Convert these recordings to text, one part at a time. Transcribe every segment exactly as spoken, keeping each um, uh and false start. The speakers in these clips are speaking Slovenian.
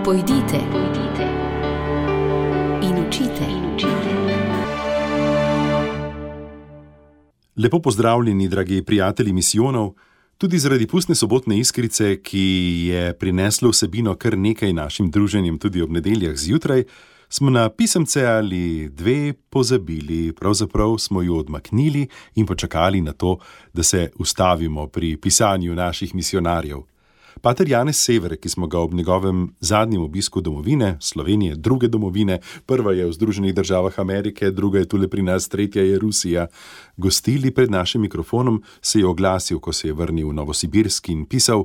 Pojdite, pojdite in učite, in učite. Lepo pozdravljeni, dragi prijatelji misijonov, tudi zaradi pustne sobotne iskrice, ki je prineslo vsebino kar nekaj našim druženjem tudi ob nedeljah zjutraj, smo na pisemce ali dve pozabili, pravzaprav smo jo odmaknili in počakali na to, da se ustavimo pri pisanju naših misionarjev. Pater Janez Sever, ki smo ga ob njegovem zadnjem obisku domovine, Slovenije, druge domovine, prva je v Združenih državah Amerike, druga je tule pri nas, tretja je Rusija, gostili pred našim mikrofonom, se je oglasil, ko se je vrnil v Novosibirsk in pisal: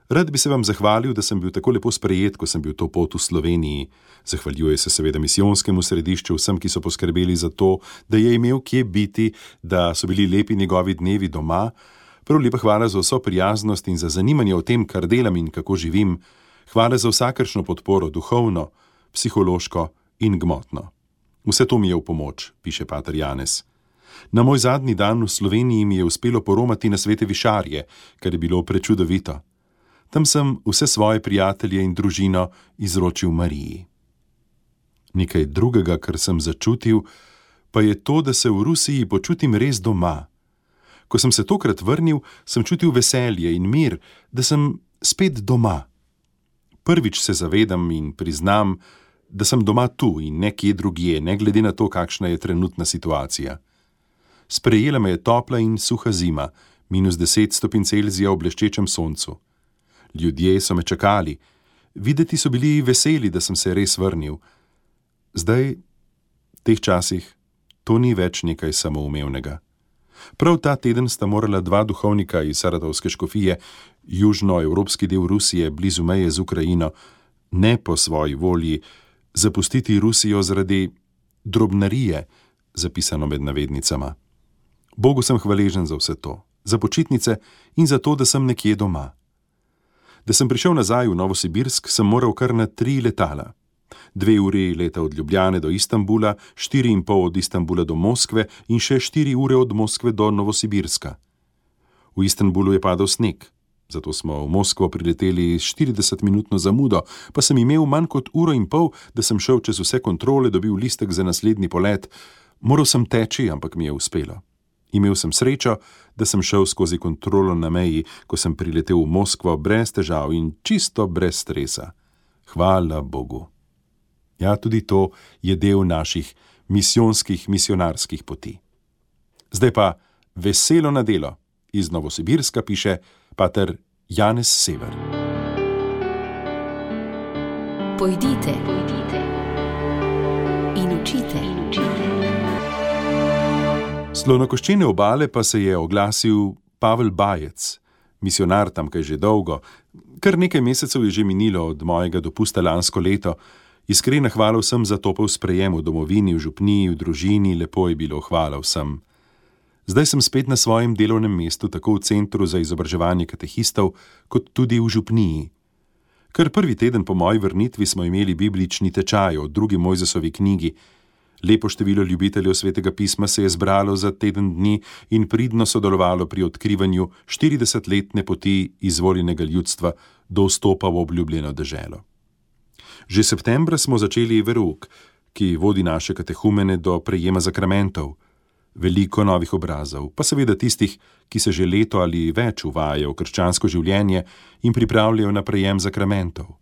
Rad bi se vam zahvalil, da sem bil tako lepo sprejet, ko sem bil to pot v Sloveniji. Zahvaljuje se seveda misijonskemu središču, vsem, ki so poskrbeli za to, da je imel kje biti, da so bili lepi njegovi dnevi doma. Prav lepa hvala za vso prijaznost in za zanimanje o tem, kar delam in kako živim. Hvala za vsakršno podporo, duhovno, psihološko in gmotno. Vse to mi je v pomoč, piše pater Janez. Na moj zadnji dan v Sloveniji mi je uspelo poromati na Svete Višarje, kar je bilo prečudovito. Tam sem vse svoje prijatelje in družino izročil Mariji. Nekaj drugega, kar sem začutil, pa je to, da se v Rusiji počutim res doma. Ko sem se tokrat vrnil, sem čutil veselje in mir, da sem spet doma. Prvič se zavedam in priznam, da sem doma tu in nekje drugje, ne glede na to, kakšna je trenutna situacija. Sprejela me je topla in suha zima, minus deset stopinj Celzija v bleščečem soncu. Ljudje so me čakali, videti so bili veseli, da sem se res vrnil. Zdaj, v teh časih, to ni več nekaj samoumevnega. Prav ta teden sta morala dva duhovnika iz Saratovske škofije, južnoevropski del Rusije, blizu meje z Ukrajino, ne po svoji volji, zapustiti Rusijo zaradi drobnarije, zapisano med navednicama. Bogu sem hvaležen za vse to, za počitnice in za to, da sem nekje doma. Da sem prišel nazaj v Novosibirsk, sem moral kar na tri letala. Dve uri leta od Ljubljane do Istanbula, štiri in pol od Istanbula do Moskve in še štiri ure od Moskve do Novosibirska. V Istanbulu je padal sneg, zato smo v Moskvo prileteli s štiridesetminutno zamudo, pa sem imel manj kot uro in pol, da sem šel čez vse kontrole, dobil listek za naslednji polet. Moral sem teči, ampak mi je uspelo. Imel sem srečo, da sem šel skozi kontrolo na meji, ko sem priletel v Moskvo brez težav in čisto brez stresa. Hvala Bogu. Ja, tudi to je del naših misijonskih, misionarskih poti. Zdaj pa veselo na delo. Iz Novosibirska piše pater Janez Sever. Pojdite, pojdite in učite, in učite. Slonokoščene obale pa se je oglasil Pavel Bajec, misionar tamkaj že dolgo. Kar nekaj mesecev je že minilo od mojega dopusta lansko leto. Iskrena hvala vsem za topel sprejem v domovini, v župniji, v družini, lepo je bilo, hvala vsem. Zdaj sem spet na svojem delovnem mestu, tako v Centru za izobraževanje katehistov, kot tudi v župniji. Kar prvi teden po moji vrnitvi smo imeli biblični tečaj o drugi Mojzesovi knjigi. Lepo število ljubiteljev Svetega pisma se je zbralo za teden dni in pridno sodelovalo pri odkrivanju štiridesetletne poti izvoljenega ljudstva do vstopa v obljubljeno deželo. Že septembra smo začeli verouk, ki vodi naše katehumene do prejema zakramentov. Veliko novih obrazov, pa seveda tistih, ki se že leto ali več uvajajo v krščansko življenje in pripravljajo na prejem zakramentov.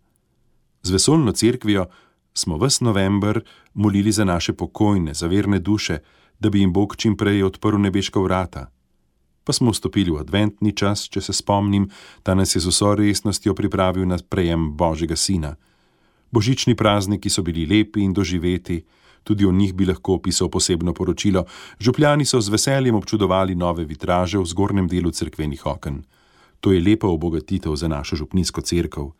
Z vesoljno cerkvijo smo ves november molili za naše pokojne, za verne duše, da bi jim Bog čim prej odprl nebeška vrata. Pa smo vstopili v adventni čas, če se spomnim, ta nas je z vso resnostjo pripravil na prejem Božjega sina. Božični prazniki so bili lepi in doživeti, tudi o njih bi lahko opisal posebno poročilo. Župljani so z veseljem občudovali nove vitraže v zgornjem delu cerkvenih oken. To je lepa obogatitev za našo župnijsko cerkev.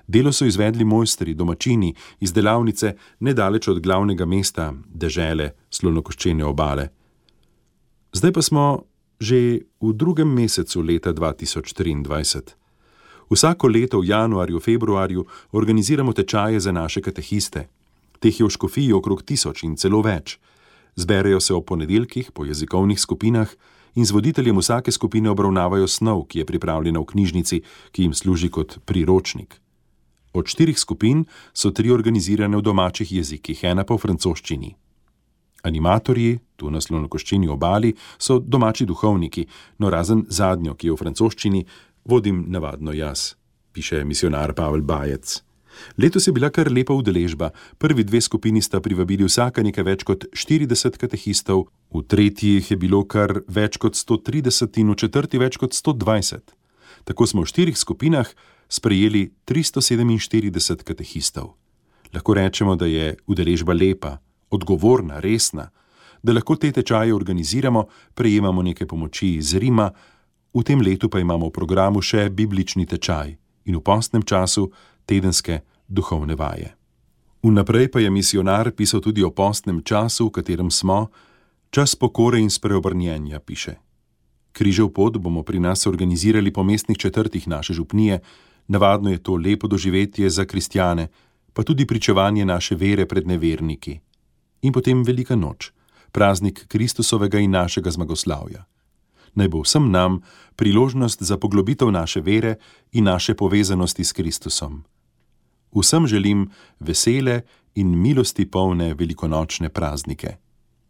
Delo so izvedli mojstri, domačini, iz delavnice nedaleč od glavnega mesta, dežele, Slonokoščene obale. Zdaj pa smo že v drugem mesecu leta dva tisoč triindvajset. Vsako leto v januarju, februarju organiziramo tečaje za naše katehiste. Teh je v škofiji okrog tisoč in celo več. Zberejo se ob ponedeljkih po jezikovnih skupinah in z voditeljem vsake skupine obravnavajo snov, ki je pripravljena v knjižnici, ki jim služi kot priročnik. Od štirih skupin so tri organizirane v domačih jezikih, ena pa v francoščini. Animatorji, tu na Slonokoščeni obali, so domači duhovniki, no razen zadnjo, ki je v francoščini, vodim navadno jaz, piše misionar Pavel Bajec. Letos je bila kar lepa udeležba. Prvi dve skupini sta privabili vsaka nekaj več kot štirideset katehistov, v tretji jih je bilo kar več kot sto trideset in v četrti več kot sto dvajset. Tako smo v štirih skupinah sprejeli tristo sedeminštirideset katehistov. Lahko rečemo, da je udeležba lepa, odgovorna, resna, da lahko te tečaje organiziramo, prejemamo nekaj pomoči iz Rima, v tem letu pa imamo v programu še biblični tečaj in v postnem času tedenske duhovne vaje. Vnaprej pa je misionar pisal tudi o postnem času, v katerem smo, čas pokore in spreobrnjenja, piše. Križev pot bomo pri nas organizirali po mestnih četrtih naše župnije, navadno je to lepo doživetje za kristjane, pa tudi pričevanje naše vere pred neverniki. In potem velika noč, praznik Kristusovega in našega zmagoslavja. Naj bo vsem nam priložnost za poglobitev naše vere in naše povezanosti s Kristusom. Vsem želim vesele in milosti polne velikonočne praznike.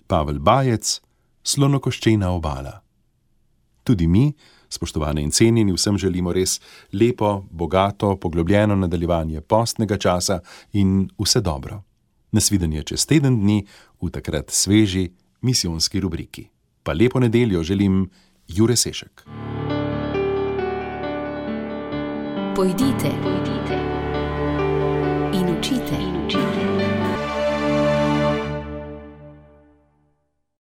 Pavel Bajec, Slonokoščena obala. Tudi mi, spoštovane in cenjeni, vsem želimo res lepo, bogato, poglobljeno nadaljevanje postnega časa in vse dobro. Nasvidenje čez teden dni v takrat sveži misijonski rubriki. Pa lepo nedeljo želim Jure Sešek. Pojdite, pojdite in učite, in učite.